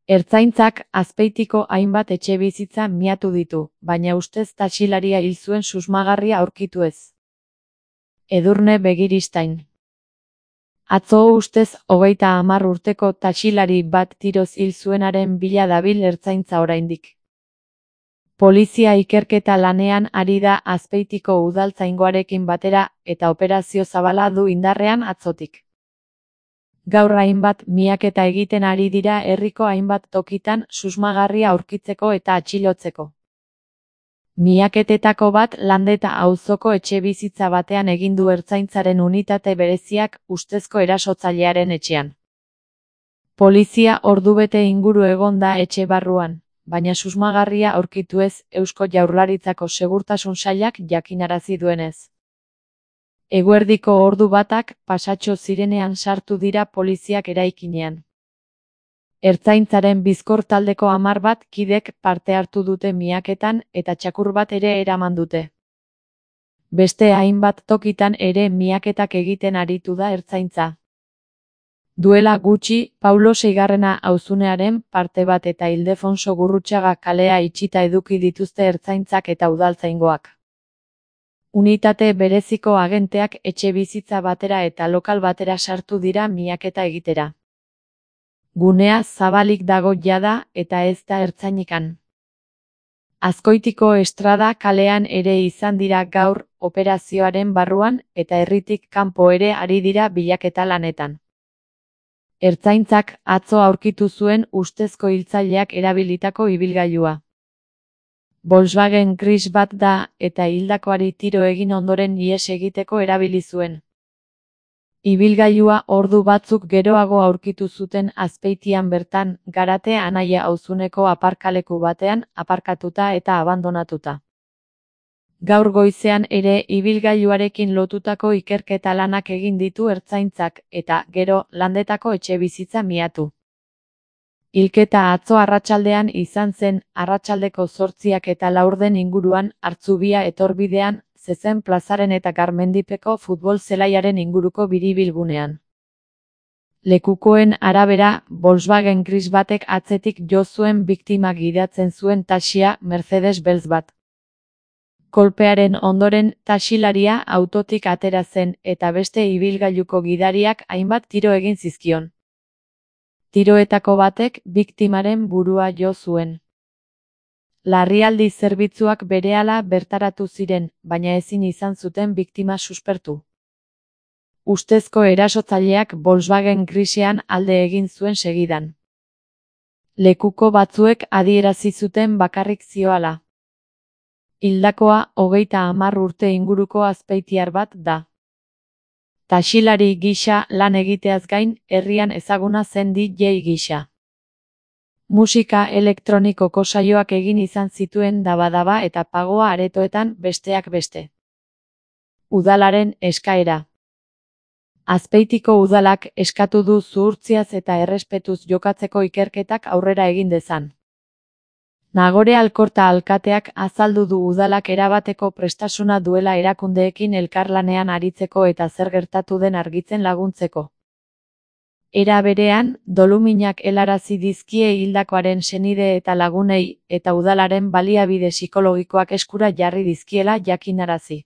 Ertzaintzak Azpeitiko hainbat etxebizitza miatu ditu, baina ustez taxilaria hil zuen susmagarria aurkitu ez. Edurne Begiristain. Atzo ustez 30 urteko taxilari bat tiroz hil zuenaren bila dabil ertzaintza oraindik. Polizia ikerketa lanean ari da Azpeitiko udaltzaingoarekin batera eta operazio zabala du indarrean atzotik. Gaur hainbat miaketa egiten ari dira herriko hainbat tokitan susmagarria aurkitzeko eta atxilotzeko. Miaketetako bat Landeta auzoko etxebizitza batean egin du ertzaintzaren unitate bereziak ustezko erasotzailearen etxean. Polizia ordubete inguru egon da etxe barruan, baina susmagarria aurkitu ez Eusko Jaurlaritzako Segurtasun Sailak jakinarazi duenez. Eguerdiko ordu batak pasatxo zirenean sartu dira poliziak eraikinean. Ertzaintzaren bizkor taldeko 10 bat kidek parte hartu dute miaketan eta txakur bat ere eraman dute. Beste hainbat tokitan ere miaketak egiten aritu da ertzaintza. Duela gutxi, Paulo Seigarrena auzunearen parte bat eta Ildefonso Gurrutxaga kalea itxita eduki dituzte ertzaintzak eta udaltzaingoak. Unitate bereziko agenteak etxebizitza batera eta lokal batera sartu dira miaketa egitera. Gunea zabalik dago jada eta ez da ertzainikan. Azkoitiko Estrada kalean ere izan dira gaur operazioaren barruan eta herritik kanpo ere ari dira bilaketa lanetan. Ertzaintzak atzo aurkitu zuen ustezko hiltzaileak erabilitako ibilgailua. Volkswagen gris bat da eta hildakoari tiro egin ondoren ihes egiteko erabili zuen. Ibilgailua ordu batzuk geroago aurkitu zuten Azpeitian bertan, Garate Anaia auzuneko aparkaleku batean aparkatuta eta abandonatuta. Gaur goizean ere ibilgailuarekin lotutako ikerketa lanak egin ditu ertzaintzak eta gero Landetako etxebizitza miatu. Hilketa atzo arratsaldean izan zen, arratsaldeko 8 eta 4 inguruan, Hartzubia etorbidean, Zezen plazaren eta Garmendipeko futbol zelaiaren inguruko biribilgunean. Lekukoen arabera, Volkswagen gris batek atzetik jo zuen biktima gidatzen zuen taxia Mercedes beltz bat. Kolpearen ondoren taxilaria autotik atera zen eta beste ibilgailuko gidariak hainbat tiro egin zizkion. Tiroetako batek biktimaren burua jo zuen. Larrialdi zerbitzuak berehala bertaratu ziren, baina ezin izan zuten biktima suspertu. Ustezko erasotzaileak Volkswagen grisean alde egin zuen segidan. Lekuko batzuek adierazi zuten bakarrik zihoala. Hildakoa 30 urte inguruko azpeitiar bat da. Taxilari gisa lan egiteaz gain, herrian ezaguna zen DJ gisa. Musika elektronikoko saioak egin izan zituen Daba eta Pagoa aretoetan besteak beste. Udalaren eskaera. Azpeitiko udalak eskatu du zuhurtziaz eta errespetuz jokatzeko ikerketak aurrera egin dezan. Nagore Alkorta alkateak azaldu du udalak erabateko prestasuna duela erakundeekin elkarlanean aritzeko eta zer gertatu den argitzen laguntzeko. Era berean, doluminak helarazi dizkie hildakoaren senide eta lagunei eta udalaren baliabide psikologikoak eskura jarri dizkiela jakinarazi.